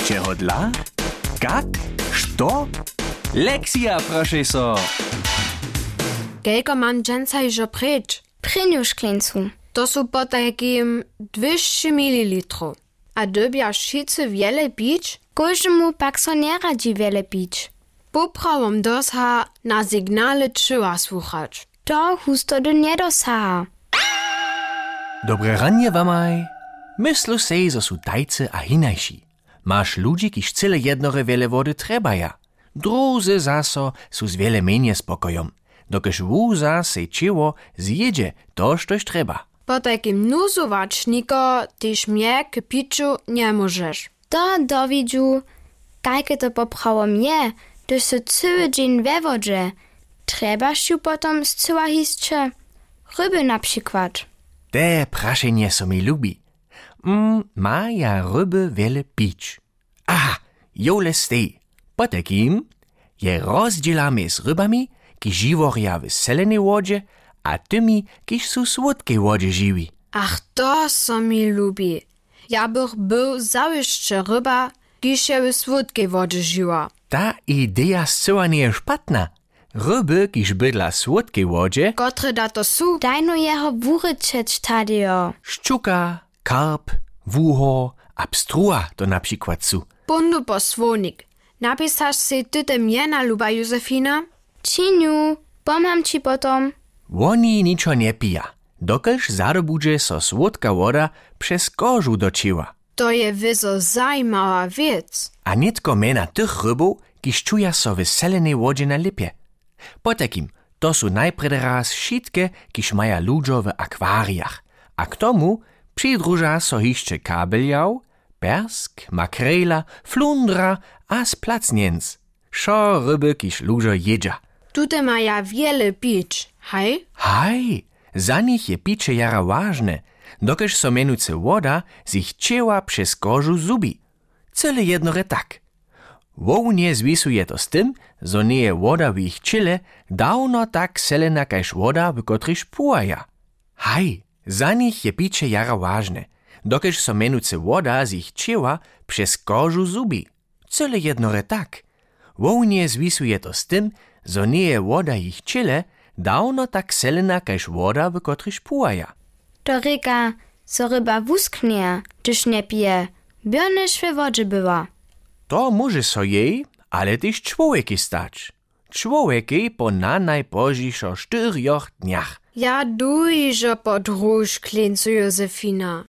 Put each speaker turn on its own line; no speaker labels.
Čeho dla? Kak? Što? Lekcja, proszę so.
Kelko mam dżęca iżo preč?
Prynju szkleńcu.
To su po takim 200 ml. A dybja šice wiele pić?
Kožemu pak so nie radzi wiele pić.
Poprawom dosha na signale czyła słuchać.
To husto do nie dosaha.
Dobre ranie wamaj. Myslu sej, zo su tajce a hinajši. Masz ludzi, kiż cyle jednore wiele wody trebaja. Druzy zaso su z wiele menje spokojom. Dokež wóza sej čiło zjedzie to, štož treba.
Po takim nuzowačniko tyż mnie k piciu nie możesz.
To dowidziu, kajke to poprawom je, gdyż so cały dzień we wodzie. Trebaš ju potom zcyła hisće. Ryby na przykład.
Te prašenje so mi lubi. Ma ja ryby wiele pić. Aha, jole stej. Po takim je rozdzielamy z rybami, ki živoria w selenej wodzie, a tymi, kiż su słodkiej wodzie žiwi.
Ach, to so mi lubi. Ja bych był załyszcze ryba, kiż je w słodkiej wodzie žiła.
Ta idea zcyła nie je špatna. Ryby, kiż bydla słodkiej wodzie,
Kotre da to su?
Dajno jeho wuryczeć tadio.
ščuka, karp, wuho, a pstrua to na przykład su.
Bundu posłonik. Napisasz si ty te miena, luba Józefina?
Činiu, pomam ci potom.
Oni niczo nie pija, dokelž zadobudže so słodka woda przez kożu dočiła.
To je wyzo zajmała wiec.
A nitko mena tych rybów, kiż czuja so w selenej wodzie na lipie. Po takim, to su najpred raz šitke, kiż maja ludzo w akwarijach. A k tomu přidruža so hišće kabeljał, persk, makrela, flundra a splacnienc. Šo ryby, kiż ludzo jedzia.
Tute ma ja wiele pić, hej?
Haj, za nich je picie jara ważne, dokež so menujce woda sich cieła przez kożu zubi. Cyle jednore tak. Wołnie zwisuje to z tym, zo nie je woda w ich čile dawno tak selena kajž woda, w kotryż płaja. Haj, za nich je picie jara ważne, dokež so menujce woda sich cieła przez kożu zubi. Cyle jednore tak. Wołnie zwisuje to z tym, zo nie je woda ich čile dawno tak selena kajž woda, w kotryż płaja.
To ryka, so ryba wusknie, gdyż nie pije. Biernyż we wodzie była.
To może so jej, ale też człowieki stać. Człowieki po na najpożniejszo 4 dniach.
Ja dujże podróż, klincu Józefina.